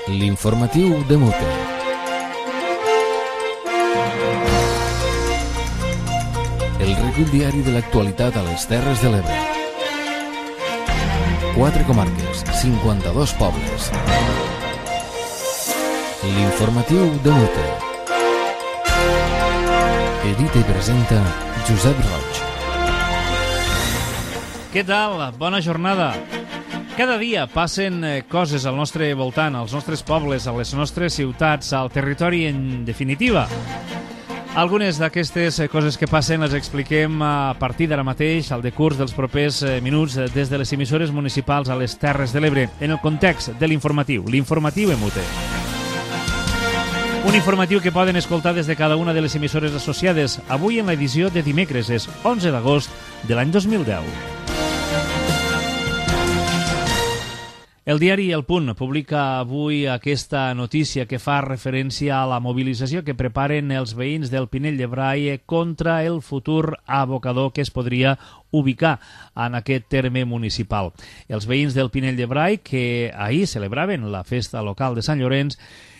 L'informatiu de Mute. El recull diari de l'actualitat a les Terres de l'Ebre. 4 comarques, 52 pobles. L'informatiu de Mute. Edita i presenta Josep Roig. Què tal? Bona jornada. Cada dia passen coses al nostre voltant, als nostres pobles, a les nostres ciutats, al territori en definitiva. Algunes d'aquestes coses que passen les expliquem a partir d'ara mateix, al decurs dels propers minuts, des de les emissores municipals a les Terres de l'Ebre, en el context de l'informatiu en Mute. Un informatiu que poden escoltar des de cada una de les emissores associades, avui en l'edició de dimecres, és 11 d'agost de l'any 2010. El diari El Punt publica avui aquesta notícia que fa referència a la mobilització que preparen els veïns del Pinell de Brai contra el futur abocador que es podria ubicar en aquest terme municipal. Els veïns del Pinell de Brai, que ahir celebraven la festa local de Sant Llorenç,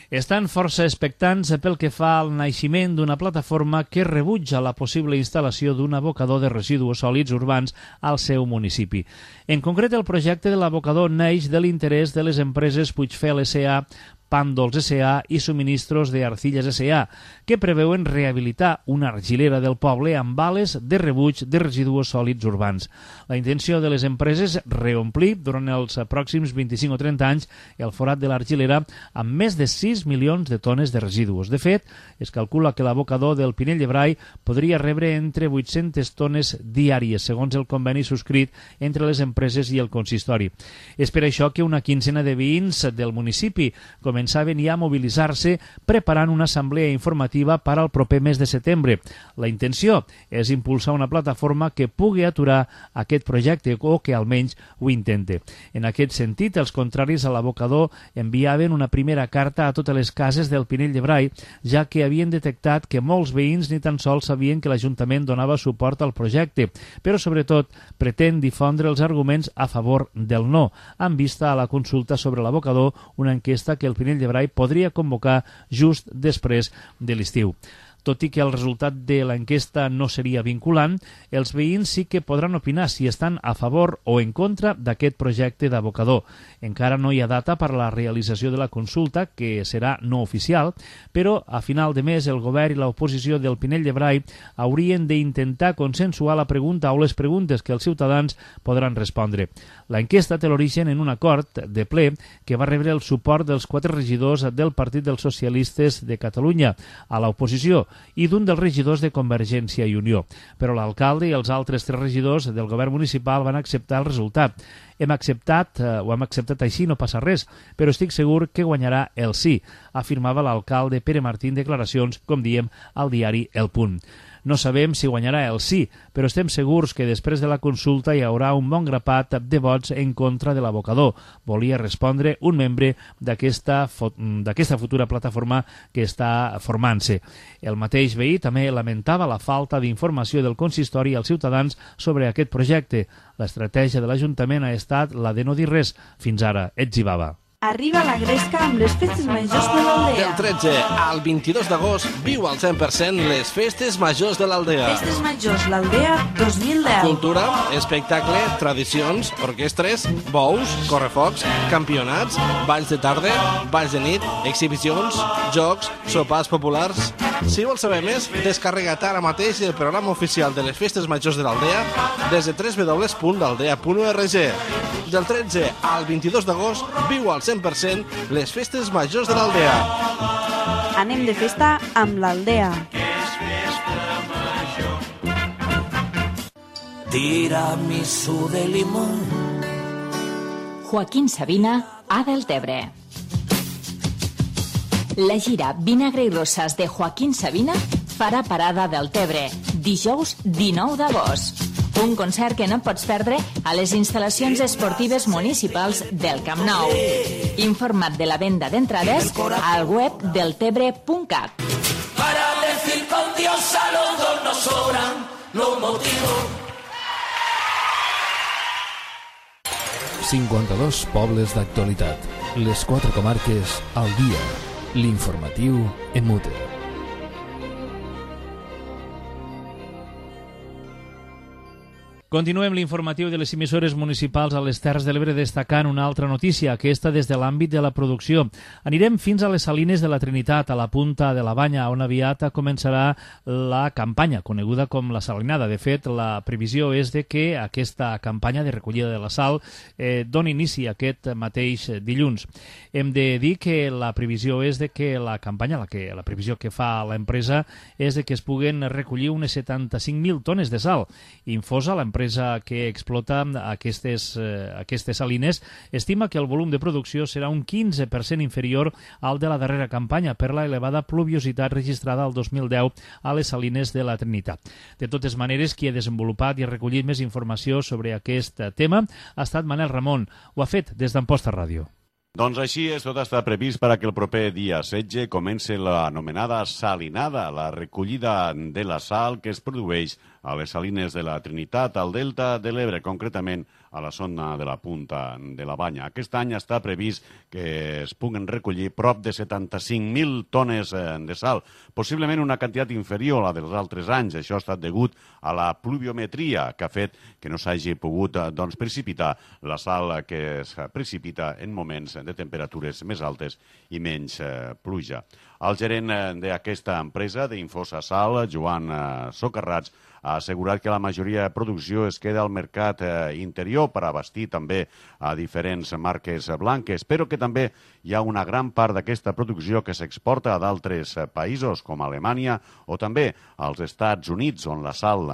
estan força expectants pel que fa al naixement d'una plataforma que rebutja la possible instal·lació d'un abocador de residus sòlids urbans al seu municipi. En concret, el projecte de l'abocador neix de l'interès de les empreses Puigfel S.A., Pàndols S.A. i Subministros de Arcilles S.A., que preveuen rehabilitar una argilera del poble amb bales de rebuig de residus sòlids urbans. La intenció de les empreses és reomplir durant els pròxims 25 o 30 anys el forat de l'argilera amb més de 6 milions de tones de residus. De fet, es calcula que l'abocador del Pinell de Brai podria rebre entre 800 tones diàries, segons el conveni subscrit entre les empreses i el consistori. És per això que una quincena de veïns del municipi començaven ja a mobilitzar-se preparant una assemblea informativa per al proper mes de setembre. La intenció és impulsar una plataforma que pugui aturar aquest projecte o que almenys ho intente. En aquest sentit, els contraris a l'abocador enviaven una primera carta a totes les cases del Pinell de Brai, ja que havien detectat que molts veïns ni tan sols sabien que l'Ajuntament donava suport al projecte, però sobretot pretén difondre els arguments a favor del no, en vista a la consulta sobre l'abocador, una enquesta que el Pinell de Brai podria convocar just després de l'estiu. Tot i que el resultat de l'enquesta no seria vinculant, els veïns sí que podran opinar si estan a favor o en contra d'aquest projecte d'abocador. Encara no hi ha data per a la realització de la consulta, que serà no oficial, però a final de mes el govern i l'oposició del Pinell de Brai haurien d'intentar consensuar la pregunta o les preguntes que els ciutadans podran respondre. L'enquesta té l'origen en un acord de ple que va rebre el suport dels 4 regidors del Partit dels Socialistes de Catalunya a l'oposició i d'un dels regidors de Convergència i Unió. Però l'alcalde i els altres 3 regidors del govern municipal van acceptar el resultat. Hem acceptat així, no passa res, però estic segur que guanyarà el sí, afirmava l'alcalde Pere Martín en declaracions, com diem, al diari El Punt. No sabem si guanyarà el sí, però estem segurs que després de la consulta hi haurà un bon grapat de vots en contra de l'abocador. Volia respondre un membre d'aquesta futura plataforma que està formant-se. El mateix veí també lamentava la falta d'informació del consistori als ciutadans sobre aquest projecte. L'estratègia de l'Ajuntament ha estat la de no dir res. Fins ara, etzibava. Arriba la Gresca amb les festes majors de l'Aldea. Del 13 al 22 d'agost viu al 100% les festes majors de l'Aldea. Festes majors l'Aldea 2010. Cultura, espectacle, tradicions, orquestres, bous, correfocs, campionats, balls de tarda, balls de nit, exhibicions, jocs, sopars populars. Si vols saber més, descarrega't ara mateix el programa oficial de les festes majors de l'Aldea des de www.aldea.org. Del 13 al 22 d'agost viu al 100% les festes majors de l'Aldea. Anem de festa amb l'Aldea. Tiramisú de limón. Joaquín Sabina, A del Tebre. La gira Vinagre i Rosas de Joaquín Sabina farà parada del Tebre dijous 19 d'agost. Un concert que no pots perdre a les instal·lacions esportives municipals del Camp Nou. Informa't de la venda d'entrades al web deltebre.cat. Para decir con Dios a los dos nos sobran los motivos. 52 pobles d'actualitat. Les 4 comarques al dia. L'informatiu en mute. Continuem l'informatiu de les emissores municipals a les Terres de l'Ebre destacant una altra notícia, aquesta des de l'àmbit de la producció. Anirem fins a les Salines de la Trinitat, a la punta de la Banya, on aviat començarà la campanya, coneguda com la salinada. De fet, la previsió és de que aquesta campanya de recollida de la sal doni inici aquest mateix dilluns. Hem de dir que la previsió és de que la campanya, la previsió que fa l'empresa és de que es puguen recollir unes 75.000 tones de sal. Infosa, l'empresa que explota aquestes salines, estima que el volum de producció serà un 15% inferior al de la darrera campanya per la elevada pluviositat registrada el 2010 a les salines de la Trinitat. De totes maneres, qui ha desenvolupat i ha recollit més informació sobre aquest tema ha estat Manel Ramon. Ho ha fet des d'Amposta Ràdio. Doncs així és, tot està previst per a que el proper dia 16 comenci l'anomenada salinada, la recollida de la sal que es produeix a les salines de la Trinitat, al Delta de l'Ebre, concretament a la zona de la punta de la Banya. Aquest any està previst que es puguen recollir prop de 75.000 tones de sal, possiblement una quantitat inferior a la dels altres anys. Això ha estat degut a la pluviometria que ha fet que no s'hagi pogut precipitar la sal que es precipita en moments de temperatures més altes i menys pluja. El gerent d'aquesta empresa, d'Infosa Sal, Joan Socarrats, ha assegurat que la majoria de producció es queda al mercat interior per abastir també a diferents marques blanques, però que també hi ha una gran part d'aquesta producció que s'exporta a d'altres països, com Alemanya o també als Estats Units, on la sal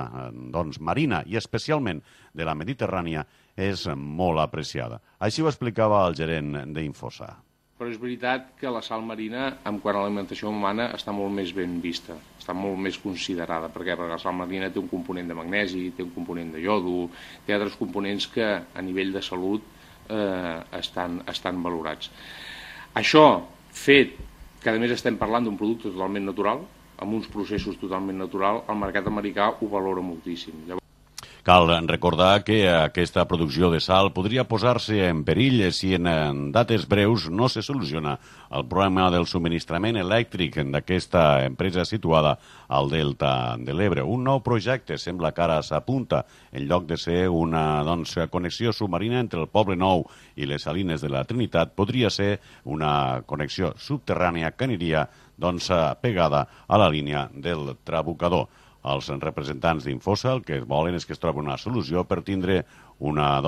marina i especialment de la Mediterrània és molt apreciada. Així ho explicava el gerent d'Infosa. Però és veritat que la sal marina, en quant a l'alimentació humana, està molt més ben vista, està molt més considerada. Per què? Perquè la sal marina té un component de magnesi, té un component de iodo, té altres components que a nivell de salut estan valorats. Això fet que a més estem parlant d'un producte totalment natural, amb uns processos totalment naturals, el mercat americà ho valora moltíssim. Cal recordar que aquesta producció de sal podria posar-se en perill si en dates breus no se soluciona el problema del subministrament elèctric d'aquesta empresa situada al Delta de l'Ebre. Un nou projecte sembla que ara s'apunta, en lloc de ser una connexió submarina entre el Poble Nou i les Salines de la Trinitat, podria ser una connexió subterrània que aniria pegada a la línia del Trabucador. Els representants d'Infosa el que volen és que es trobi una solució per tindre una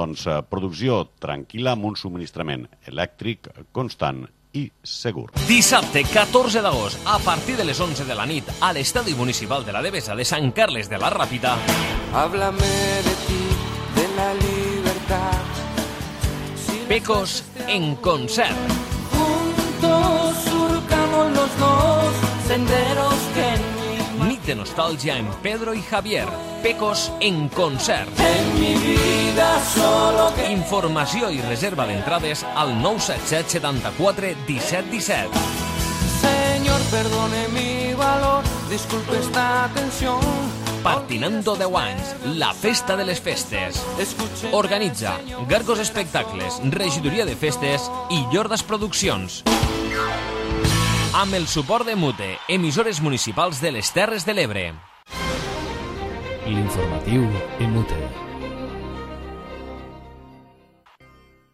producció tranquil·la amb un subministrament elèctric constant i segur. Dissabte 14 d'agost, a partir de les 11 de la nit, a l'Estadi Municipal de la Devesa de Sant Carles de la Ràpita. Háblame de ti, de la libertad. Pecos en concert. Juntos surcamos los dos senderos que Nit de nostàlgia en Pedro y Javier. Pecos en concert. en mi vida solo que... Informació i reserva d'entrades al 977 74 17 17. Señor, perdone mi valor, disculpe esta tensión. Partinando 10 anys, la festa de les festes. Escuche... Organitza Gargos Espectacles, Regidoria de Festes i Llordas Produccions. Amb el suport de Mute, emissores municipals de les Terres de l'Ebre. L'informatiu en mute.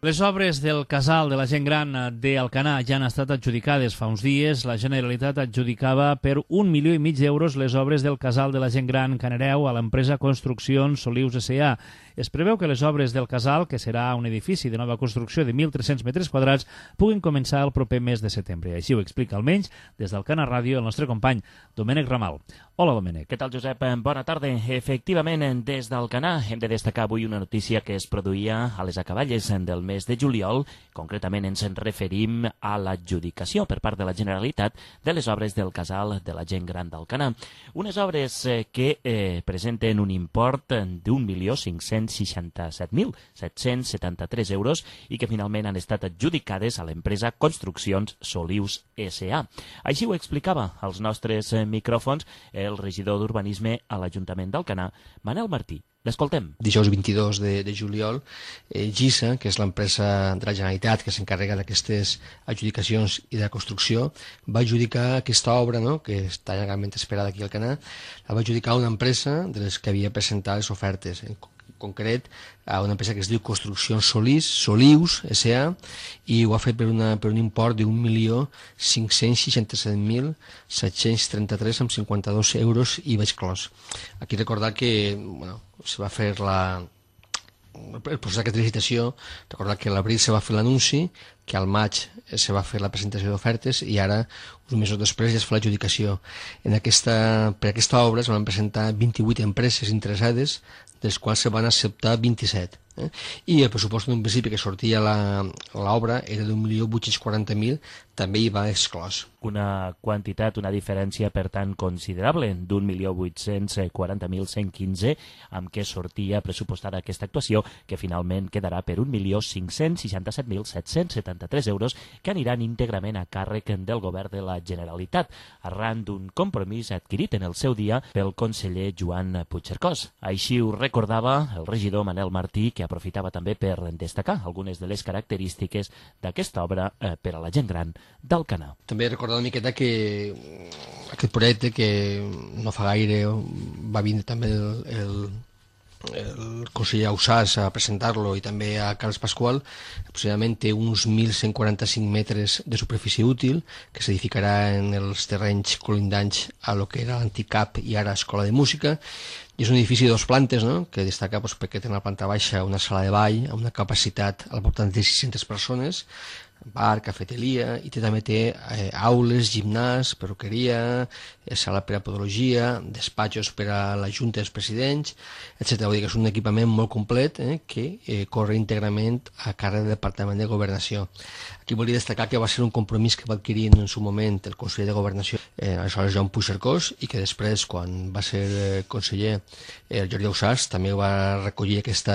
Les obres del casal de la gent gran d'Alcanar ja han estat adjudicades. Fa uns dies la Generalitat adjudicava per 1,5 milió d'euros les obres del casal de la gent gran Canereu a l'empresa Construccions Solius S.A. Es preveu que les obres del casal, que serà un edifici de nova construcció de 1.300 metres quadrats, puguin començar el proper mes de setembre. Així ho explica almenys des d'Alcanar Ràdio el nostre company Domènec Ramal. Hola, Domènec. Què tal, Josep? Bona tarda. Efectivament, des d'Alcanar hem de destacar avui una notícia que es produïa a les acaballes del mes de juliol. Concretament ens en referim a l'adjudicació per part de la Generalitat de les obres del casal de la gent gran d'Alcanar. Unes obres que presenten un import d'1.500.000 667.773 euros i que finalment han estat adjudicades a l'empresa Construccions Solius S.A. Així ho explicava als nostres micròfons el regidor d'Urbanisme a l'Ajuntament d'Alcanar, Manel Martí. L'escoltem. Dijous 22 de juliol, GISA, que és l'empresa de la Generalitat que s'encarrega d'aquestes adjudicacions i de la construcció, va adjudicar aquesta obra, no?, que està llargament esperada aquí al Alcanar, la va adjudicar a una empresa de les que havia presentat les ofertes, en concret a una empresa que es diu Construccions Solius S.A. i ho ha fet per un import de 1.567.733,52 euros i vaig clos. Aquí recordar que se va fer el procés d'aquesta licitació, recordar que a l'abril se va fer l'anunci, que al maig se va fer la presentació d'ofertes i ara, uns mesos després, ja es fa l'adjudicació. Per aquesta obra es van presentar 28 empreses interessades, dels quals se van acceptar 27. I el pressupost d'un principi que sortia l'obra era d'1.840.000, també hi va exclòs. Una quantitat, una diferència, per tant, considerable, d'1.840.115, amb què sortia pressupostada aquesta actuació, que finalment quedarà per 1.567.773 euros, que aniran íntegrament a càrrec del govern de la Generalitat, arran d'un compromís adquirit en el seu dia pel conseller Joan Puigcercós. Així ho recordava el regidor Manel Martí, que aprofitava també per destacar algunes de les característiques d'aquesta obra per a la gent gran d'Alcanar. També recordar una miqueta que aquest projecte, que no fa gaire va vindre també el conseller Ausàs a presentar-lo i també a Carles Pasqual, aproximadament té uns 1.145 metres de superfície útil que s'edificarà en els terrenys colindants a lo que era l'antic CAP i ara Escola de Música. I és un edifici de 2 plantes, no?, que destaca perquè té una planta baixa una sala de ball amb una capacitat al voltant de 600 persones, bar, cafeteria, i també té aules, gimnàs, perruqueria, sala per a podologia, despatxos per a la Junta dels Presidents, etc. Vull dir que és un equipament molt complet que corre íntegrament a càrrec del Departament de Governació. Aquí volia destacar que va ser un compromís que va adquirir en su moment el conseller de Governació, aleshores Joan Puigcercós, i que després, quan va ser conseller el Jordi Ausàs, també va recollir aquest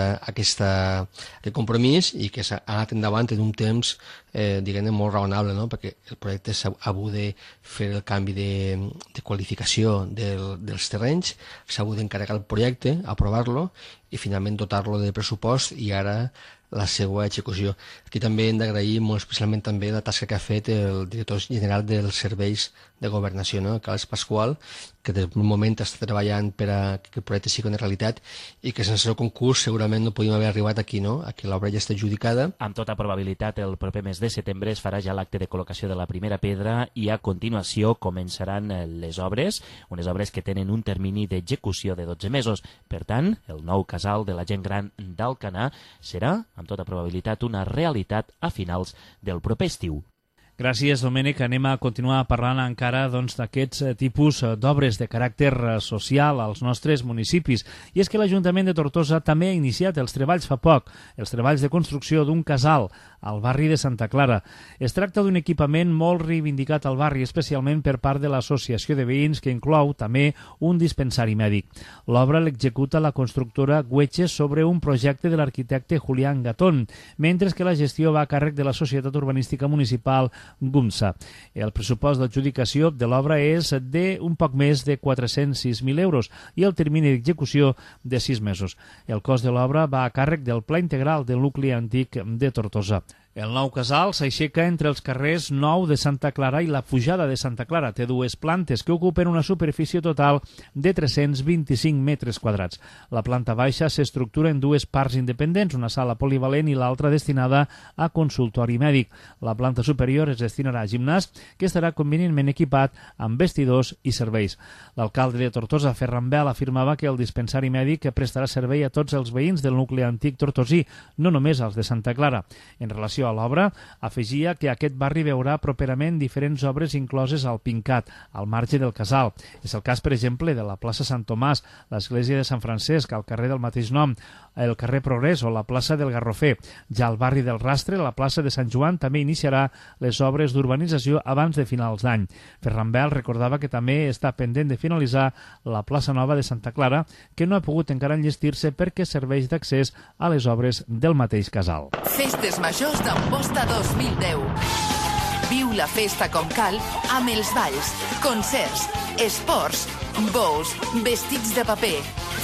compromís i que s'ha anat endavant en un temps diguem-ne molt raonable, no?, perquè el projecte s'ha hagut de fer el canvi de qualificació dels terrenys, s'ha hagut d'encarregar el projecte, aprovar-lo i finalment dotar-lo de pressupost i ara la seva execució. Aquí també hem d'agrair molt especialment també la tasca que ha fet el director general dels serveis de governació, no?, Carles Pasqual, que des d'un moment està treballant per a que el projecte sigui una realitat i que sense el concurs segurament no podíem haver arribat aquí, no?, a que l'obra ja està adjudicada. Amb tota probabilitat el proper mes de setembre es farà ja l'acte de col·locació de la primera pedra i a continuació començaran les obres, unes obres que tenen un termini d'execució de 12 mesos. Per tant, el nou casal de la gent gran d'Alcanar serà, amb tota probabilitat, una realitat a finals del proper estiu. Gràcies, Domènec. Anem a continuar parlant encara d'aquests tipus d'obres de caràcter social als nostres municipis. I és que l'Ajuntament de Tortosa també ha iniciat els treballs fa poc, els treballs de construcció d'un casal al barri de Santa Clara. Es tracta d'un equipament molt reivindicat al barri, especialment per part de l'Associació de Veïns, que inclou també un dispensari mèdic. L'obra l'executa la constructora Güeches sobre un projecte de l'arquitecte Julián Gatón, mentre que la gestió va a càrrec de la Societat Urbanística Municipal GUMSA. El pressupost d'adjudicació de l'obra és d'un poc més de 406.000 euros i el termini d'execució de 6 mesos. El cost de l'obra va a càrrec del Pla Integral del Nucli Antic de Tortosa. El nou casal s'aixeca entre els carrers Nou de Santa Clara i la Pujada de Santa Clara. Té 2 plantes que ocupen una superfície total de 325 metres quadrats. La planta baixa s'estructura en 2 parts independents, una sala polivalent i l'altra destinada a consultori mèdic. La planta superior es destinarà a gimnàs, que estarà convenientment equipat amb vestidors i serveis. L'alcalde de Tortosa, Ferran Bel, afirmava que el dispensari mèdic prestarà servei a tots els veïns del nucli antic tortosí, no només als de Santa Clara. En relació a l'obra, afegia que aquest barri veurà properament diferents obres incloses al Pincat, al marge del casal. És el cas, per exemple, de la plaça Sant Tomàs, l'església de Sant Francesc, al carrer del mateix nom, el carrer Progrés o la plaça del Garrofer. Ja al barri del Rastre, la plaça de Sant Joan també iniciarà les obres d'urbanització abans de finals d'any. Ferran Bel recordava que també està pendent de finalitzar la plaça Nova de Santa Clara, que no ha pogut encara enllestir-se perquè serveix d'accés a les obres del mateix casal. Festes Majors d'Amposta 2010. Viu la festa com cal amb els balls, concerts, esports, bous, vestits de paper,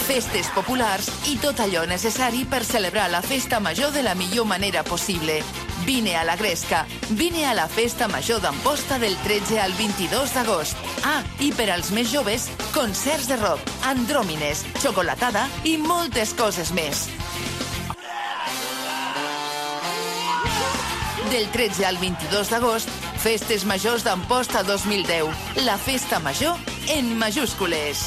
festes populars i tot allò necessari per celebrar la festa major de la millor manera possible. Vine a la Gresca, vine a la festa major d'Amposta del 13 al 22 d'agost. Ah, i per als més joves, concerts de rock, andròmines, xocolatada i moltes coses més. Del 13 al 22 d'agost, Festes Majors d'Amposta 2010. La festa major en majúscules.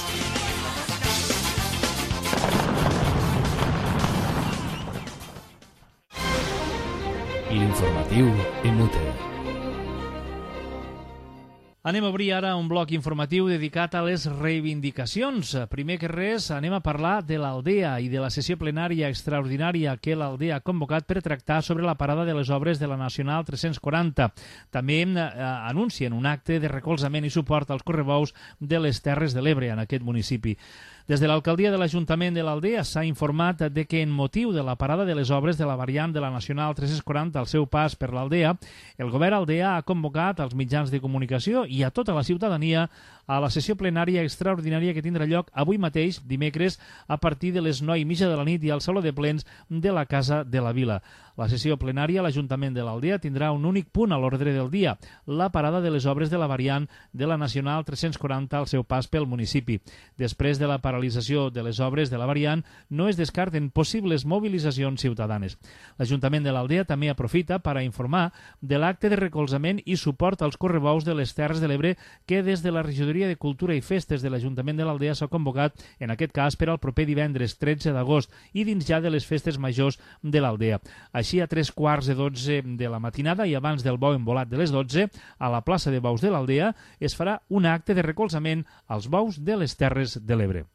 L'informatiu en UTE. Anem a obrir ara un bloc informatiu dedicat a les reivindicacions. Primer que res, anem a parlar de l'Aldea i de la sessió plenària extraordinària que l'Aldea ha convocat per tractar sobre la parada de les obres de la Nacional 340. També anuncien un acte de recolzament i suport als correbous de les Terres de l'Ebre en aquest municipi. Des de l'alcaldia de l'Ajuntament de l'Aldea s'ha informat de que en motiu de la parada de les obres de la variant de la Nacional 340 al seu pas per l'Aldea, el govern aldea ha convocat als mitjans de comunicació i a tota la ciutadania a la sessió plenària extraordinària que tindrà lloc avui mateix, dimecres, a partir de les 9:30 de la nit i al Saló de Plens de la Casa de la Vila. La sessió plenària a l'Ajuntament de l'Aldea tindrà un únic punt a l'ordre del dia, la parada de les obres de la variant de la Nacional 340 al seu pas pel municipi. Després de la paralització de les obres de la variant, no es descarten possibles mobilitzacions ciutadanes. L'Ajuntament de l'Aldea també aprofita per a informar de l'acte de recolzament i suport als correbous de les Terres de l'Ebre que des de la Regidoria de Cultura i Festes de l'Ajuntament de l'Aldea s'ha convocat, en aquest cas per al proper divendres 13 d'agost i dins ja de les festes majors de l'Aldea. Així, a 3:15 de la matinada i abans del bou embolat de les 12, a la plaça de Bous de l'Aldea es farà un acte de recolzament als bous de les Terres de l'Ebre.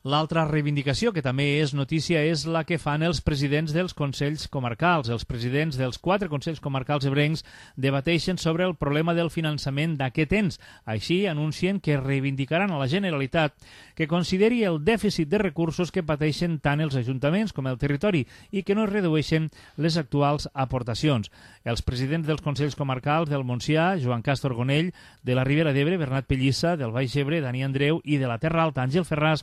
L'altra reivindicació, que també és notícia, és la que fan els presidents dels Consells Comarcals. Els presidents dels 4 Consells Comarcals ebrencs debateixen sobre el problema del finançament d'aquest ens. Així, anuncien que reivindicaran a la Generalitat que consideri el dèficit de recursos que pateixen tant els ajuntaments com el territori i que no es redueixen les actuals aportacions. Els presidents dels Consells Comarcals del Montsià, Joan Castro Gonell, de la Ribera d'Ebre, Bernat Pellissa, del Baix Ebre, Dani Andreu i de la Terra Alta, Àngel Ferràs,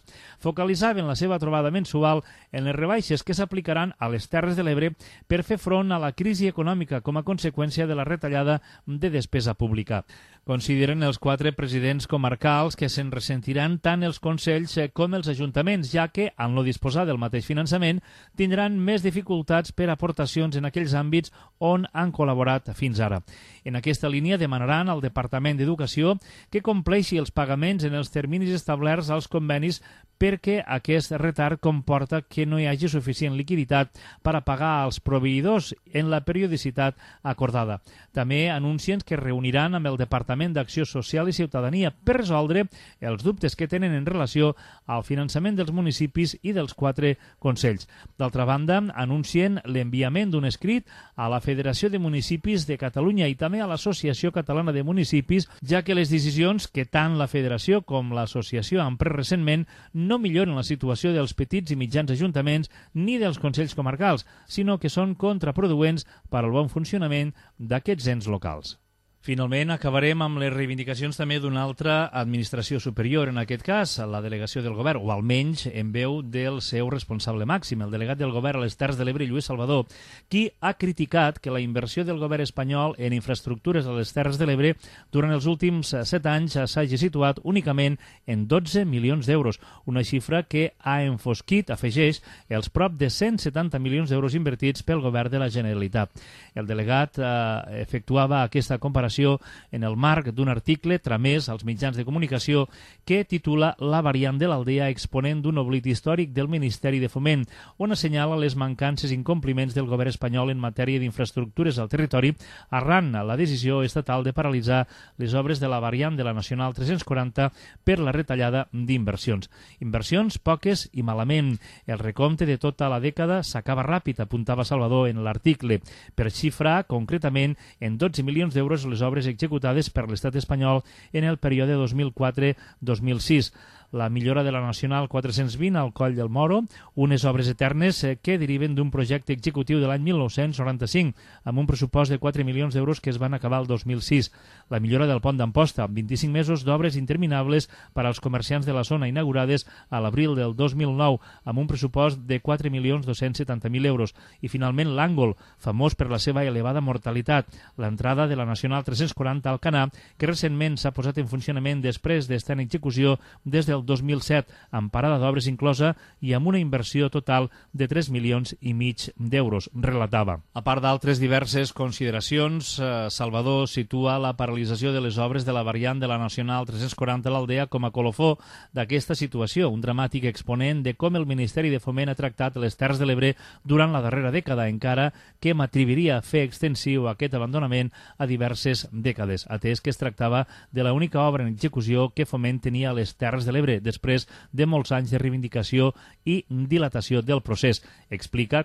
focalitzaven la seva trobada mensual en les rebaixes que s'aplicaran a les Terres de l'Ebre per fer front a la crisi econòmica com a conseqüència de la retallada de despesa pública. Consideren els 4 presidents comarcals que se'n ressentiran tant els consells com els ajuntaments, ja que, en no disposar del mateix finançament, tindran més dificultats per aportacions en aquells àmbits on han col·laborat fins ara. En aquesta línia demanaran al Departament d'Educació que compleixi els pagaments en els terminis establerts als convenis perquè aquest retard comporta que no hi hagi suficient liquiditat per a pagar als proveïdors en la periodicitat acordada. També anuncien que reuniran amb el Departament d'Acció Social i Ciutadania per resoldre els dubtes que tenen en relació al finançament dels municipis i dels 4 consells. D'altra banda, anuncien l'enviament d'un escrit a la Federació de Municipis de Catalunya i també a l'Associació Catalana de Municipis, ja que les decisions que tant la Federació com l'Associació han pres recentment no milloren la situació dels petits i mitjans ajuntaments ni dels consells comarcals, sinó que són contraproduents per al bon funcionament d'aquests ens locals. Finalment, acabarem amb les reivindicacions també d'una altra administració superior, en aquest cas, la delegació del govern, o almenys en veu del seu responsable màxim, el delegat del govern a les Terres de l'Ebre, Lluís Salvador, qui ha criticat que la inversió del govern espanyol en infraestructures a les Terres de l'Ebre durant els últims 7 anys s'hagi situat únicament en 12 milions d'euros, una xifra que ha enfosquit, afegeix, els prop de 170 milions d'euros invertits pel govern de la Generalitat. El delegat efectuava aquesta comparació publicació en el marc d'un article tramès als mitjans de comunicació que titula La variant de l'Aldea exponent d'un oblit històric del Ministeri de Foment, on assenyala les mancances i incompliments del govern espanyol en matèria d'infraestructures al territori arran la decisió estatal de paralitzar les obres de la variant de la Nacional 340 per la retallada d'inversions. Inversions poques i malament. El recompte de tota la dècada s'acaba ràpid, apuntava Salvador en l'article, per xifrar concretament en 12 milions d'euros les obres executades per l'estat espanyol en el període 2004-2006. La millora de la Nacional 420 al Coll del Moro, unes obres eternes que deriven d'un projecte executiu de l'any 1995, amb un pressupost de 4 milions d'euros que es van acabar el 2006. La millora del pont d'Amposta, 25 mesos d'obres interminables per als comerciants de la zona inaugurades a l'abril del 2009, amb un pressupost de 4.270.000 euros. I finalment l'Àngol, famós per la seva elevada mortalitat, l'entrada de la Nacional 340 al Canà, que recentment s'ha posat en funcionament després d'estar en execució des del 2007, amb parada d'obres inclosa i amb una inversió total de 3,5 milions d'euros, relatava. A part d'altres diverses consideracions, Salvador situa la paralització de les obres de la variant de la Nacional 340 a l'Aldea com a colofó d'aquesta situació, un dramàtic exponent de com el Ministeri de Foment ha tractat les Terres de l'Ebre durant la darrera dècada, encara que m'atreviria a fer extensiu aquest abandonament a diverses dècades, atès que es tractava de l'única obra en execució que Foment tenia a les Terres de l'Ebre després de molts anys de reivindicació i dilatació del procés.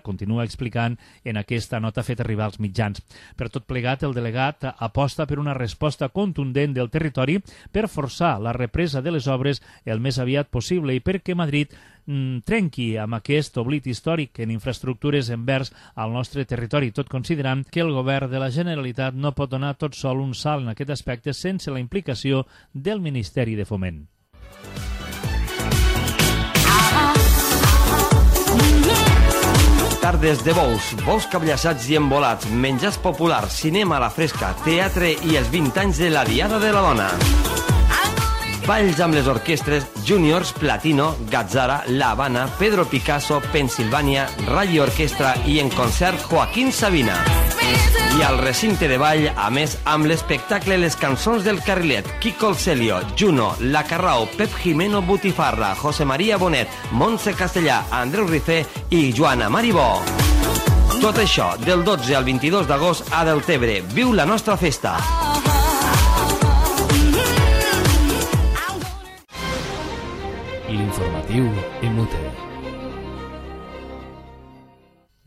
Continua explicant en aquesta nota feta arribar als mitjans. Per tot plegat, el delegat aposta per una resposta contundent del territori per forçar la represa de les obres el més aviat possible i perquè Madrid trenqui amb aquest oblit històric en infraestructures envers al nostre territori, tot considerant que el govern de la Generalitat no pot donar tot sol un salt en aquest aspecte sense la implicació del Ministeri de Foment. Tardes de bous cabllaçats i embolats, menjars populars, cinema a la fresca, teatre i els 20 anys de la Diada de la Dona. Balls amb les orquestres Juniors, Platino, Gazzara, La Habana, Pedro Picasso, Pensilvània, Rally Orquestra i en concert Joaquín Sabina. I al recinte de ball, a més, amb l'espectacle Les cançons del Carrilet, Quico el Celio, Juno, La Carrao, Pep Jimeno Butifarra, José María Bonet, Montse Castellà, Andreu Rifé i Joana Maribó. Tot això del 12 al 22 d'agost a Deltebre. Viu la nostra festa! L'informatiu Emute.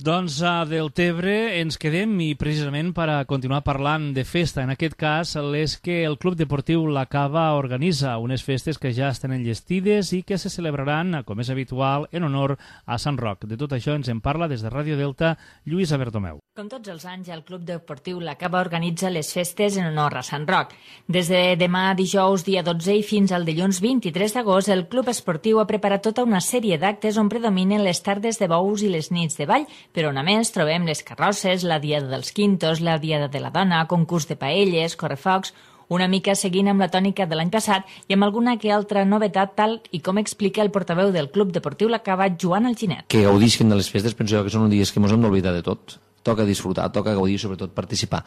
Doncs a Deltebre ens quedem i precisament per a continuar parlant de festa, en aquest cas les que el Club Deportiu La Cava organitza, unes festes que ja estan enllestides i que se celebraran, com és habitual, en honor a Sant Roc. De tot això ens en parla des de Ràdio Delta Lluïsa Bertomeu. Com tots els anys, el Club Deportiu La Cava organitza les festes en honor a Sant Roc. Des de demà dijous, dia 12, i fins al dilluns 23 d'agost, el Club Esportiu ha preparat tota una sèrie d'actes on predominen les tardes de bous i les nits de ball, però on a més trobem les carrosses, la Diada dels Quintos, la Diada de la Dona, concurs de paelles, correfocs, una mica seguint amb la tònica de l'any passat i amb alguna que altra novetat, tal i com explica el portaveu del Club Deportiu La Cava, Joan Alginet. Que gaudisquen de les festes, penso jo que són dies que ens hem d'oblidar de tot. Toca disfrutar, toca gaudir, sobretot participar.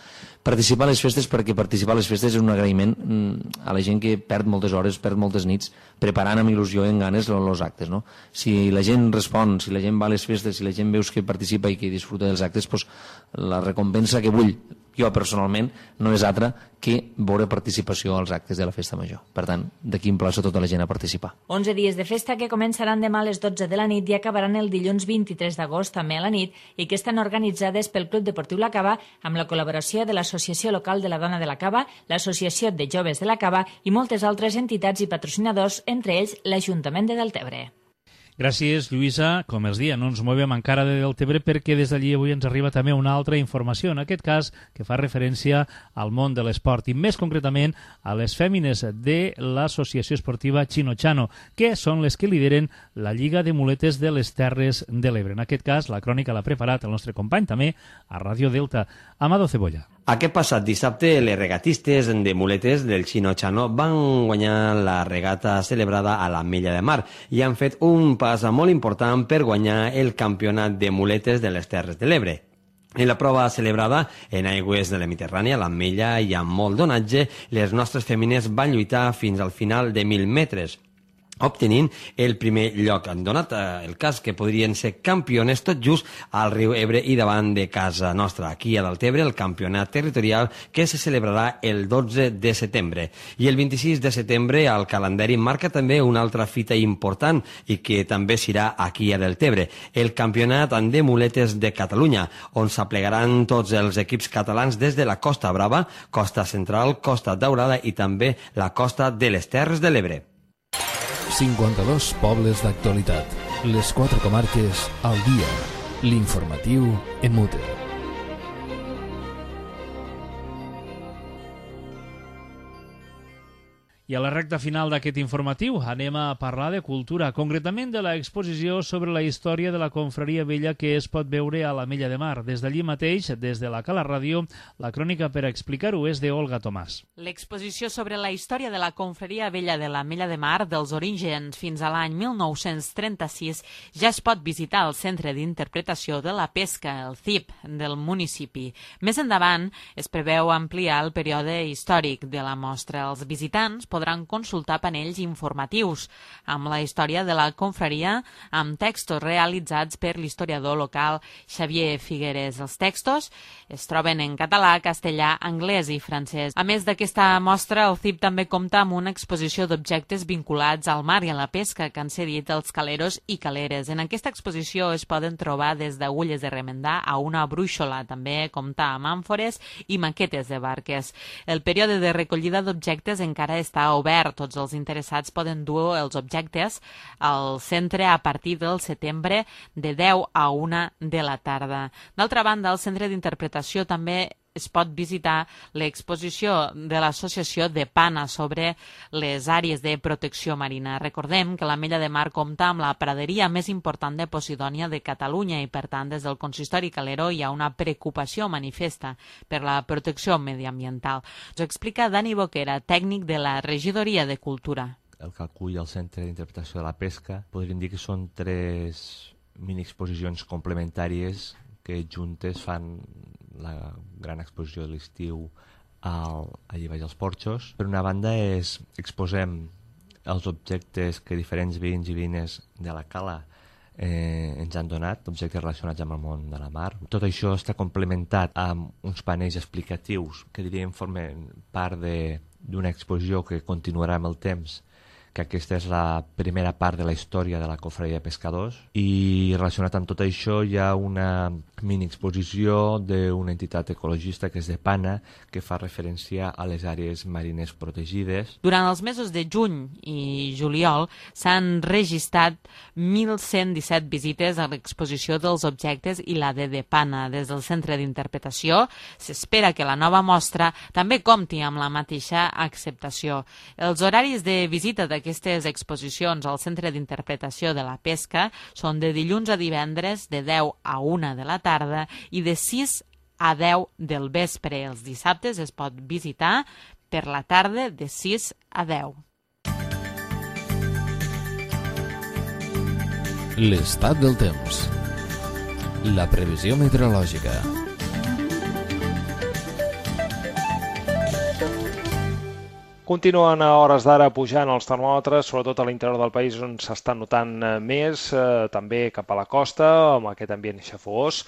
Participar a les festes, perquè participar a les festes és un agraïment a la gent que perd moltes hores, perd moltes nits, preparant amb il·lusió i amb ganes els actes, no? Si la gent respon, si la gent va a les festes, si la gent veus que participa i que disfruta dels actes, doncs la recompensa que vull jo personalment no és altra que veure participació als actes de la festa major. Per tant, d'aquí emplaço tota la gent a participar. 11 dies de festa que començaran demà a les 12 de la nit i acabaran el dilluns 23 d'agost també a la nit i que estan organitzades pel Club Deportiu La Cava amb la col·laboració de l'Associació Local de la Dona de la Cava, l'Associació de Joves de la Cava i moltes altres entitats i patrocinadors, entre ells l'Ajuntament de Deltebre. Gràcies, Lluïsa. Com els dia, no ens movem encara de Deltebre perquè des d'allí avui ens arriba també una altra informació, en aquest cas que fa referència al món de l'esport i més concretament a les fèmines de l'Associació Esportiva Chino-Chano, que són les que lideren la Lliga de Muletes de les Terres de l'Ebre. En aquest cas, la crònica l'ha preparat el nostre company també a Ràdio Delta, Amado Cebolla. Aquest passat dissabte, les regatistes de muletes del Chino-Chano van guanyar la regata celebrada a l'Ametlla de Mar i han fet un pas molt important per guanyar el campionat de muletes de les Terres de l'Ebre. En la prova celebrada en aigües de la Mediterrània, l'Ametlla i amb molt d'onatge, les nostres femines van lluitar fins al final de 1.000 metres, obtenint el primer lloc. Han donat el cas que podrien ser campiones tot just al riu Ebre i davant de casa nostra, aquí a Deltebre, el campionat territorial que se celebrarà el 12 de setembre. I el 26 de setembre el calendari marca també una altra fita important i que també serà aquí a Deltebre, el campionat de muletes de Catalunya, on s'aplegaran tots els equips catalans des de la Costa Brava, Costa Central, Costa Daurada i també la costa de les Terres de l'Ebre. 52 pobles d'actualitat. Les 4 comarques al dia. L'informatiu en Mute. I a la recta final d'aquest informatiu anem a parlar de cultura, concretament de l'exposició sobre la història de la confraria vella que es pot veure a l'Ametlla de Mar. Des d'allí mateix, des de la Cala Ràdio, la crònica per explicar-ho és d'Olga Tomàs. L'exposició sobre la història de la confraria vella de l'Ametlla de Mar, dels orígens fins a l'any 1936, ja es pot visitar al Centre d'Interpretació de la Pesca, el CIP, del municipi. Més endavant, es preveu ampliar el període històric de la mostra. Els visitants podran consultar panells informatius amb la història de la confraria amb textos realitzats per l'historiador local Xavier Figueres. Els textos es troben en català, castellà, anglès i francès. A més d'aquesta mostra, el CIP també compta amb una exposició d'objectes vinculats al mar i a la pesca que han cedit els caleros i caleres. En aquesta exposició es poden trobar des d'agulles de remendar a una brúixola. També compta amb àmfores i maquetes de barques. El període de recollida d'objectes encara està obert. Tots els interessats poden dur els objectes al centre a partir del setembre de 10 a 1 de la tarda. D'altra banda, al centre d'interpretació també es pot visitar l'exposició de l'Associació de Pana sobre les àrees de protecció marina. Recordem que l'Ametlla de Mar compta amb la praderia més important de Posidònia de Catalunya i, per tant, des del consistori calero hi ha una preocupació manifesta per la protecció mediambiental. Ens ho explica Dani Boquera, tècnic de la Regidoria de Cultura. El que acull el Centre d'Interpretació de la Pesca podríem dir que són 3 mini-exposicions complementàries que juntes fan la gran exposició de l'estiu allà baix als Porxos. Per una banda, exposem els objectes que diferents veïns i veïnes de la cala ens han donat, objectes relacionats amb el món de la mar. Tot això està complementat amb uns panells explicatius que diríem formen part d'una exposició que continuarà amb el temps, que aquesta és la primera part de la història de la confraria de pescadors, i relacionat amb tot això hi ha una mini-exposició d'una entitat ecologista que és de Pana, que fa referència a les àrees marines protegides. Durant els mesos de juny i juliol s'han registrat 1.117 visites a l'exposició dels objectes i la de Pana. Des del Centre d'Interpretació s'espera que la nova mostra també compti amb la mateixa acceptació. Els horaris de visita d'aquestes exposicions al Centre d'Interpretació de la Pesca són de dilluns a divendres de 10 a 1 de la tarda i de 6 a 10 del vespre. Els dissabtes es pot visitar per la tarda de 6 a 10. L'estat del temps. La previsió meteorològica. Continuen a hores d'ara pujant els termòmetres, sobretot a l'interior del país on s'està notant més, també cap a la costa, amb aquest ambient xafogós.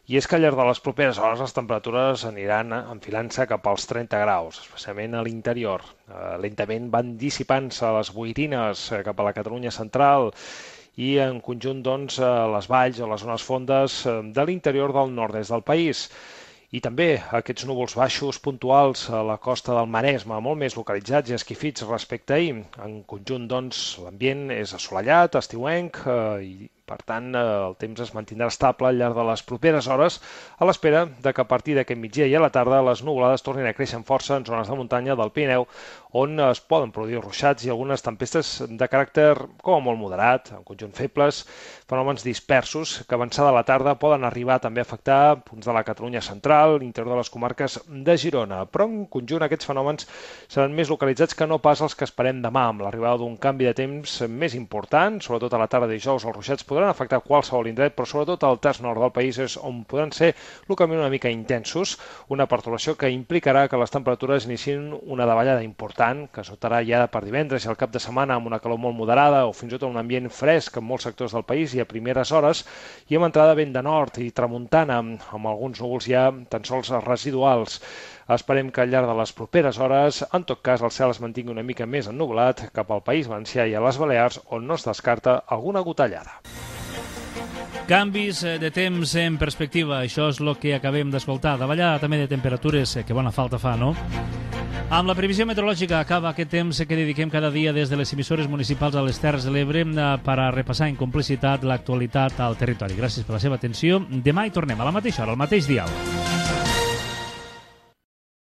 I és que al llarg de les properes hores les temperatures aniran enfilant-se cap als 30 graus, especialment a l'interior. Lentament van dissipant-se les boirines cap a la Catalunya central i en conjunt doncs, les valls o les zones fondes de l'interior del nord-est del país. I també aquests núvols baixos puntuals a la costa del Maresme, molt més localitzats i esquifits respecte a ahir. En conjunt, doncs, l'ambient és assolellat, estiuenc, i per tant el temps es mantindrà estable al llarg de les properes hores, a l'espera que a partir d'aquest migdia i a la tarda les nuvolades tornin a créixer amb força en zones de muntanya del Pirineu, on es poden produir ruixats i algunes tempestes de caràcter com a molt moderat, en conjunt febles, fenòmens dispersos que avançada la tarda poden arribar també a afectar punts de la Catalunya central, l'interior de les comarques de Girona. Però en conjunt aquests fenòmens seran més localitzats que no pas els que esperem demà, amb l'arribada d'un canvi de temps més important, sobretot a la tarda de dijous els ruixats podran podran afectar qualsevol indret, però sobretot al terç nord del país és on podran ser localment una mica intensos, una pertorbació que implicarà que les temperatures inicien una davallada important, que s'otarà ja per divendres i al cap de setmana amb una calor molt moderada o fins i tot un ambient fresc en molts sectors del país i a primeres hores, i amb entrada vent de nord i tramuntana, amb alguns núvols ja tan sols residuals. Esperem que al llarg de les properes hores, en tot cas, el cel es mantingui una mica més ennublat cap al País Valencià i a les Balears, on no es descarta alguna gotellada. Canvis de temps en perspectiva, això és el que acabem d'escoltar. Davallada també de temperatures, que bona falta fa, no? Amb la previsió meteorològica acaba aquest temps que dediquem cada dia des de les emissores municipals a les Terres de l'Ebre per a repassar en complicitat l'actualitat al territori. Gràcies per la seva atenció. Demà hi tornem a la mateixa hora, al mateix dial.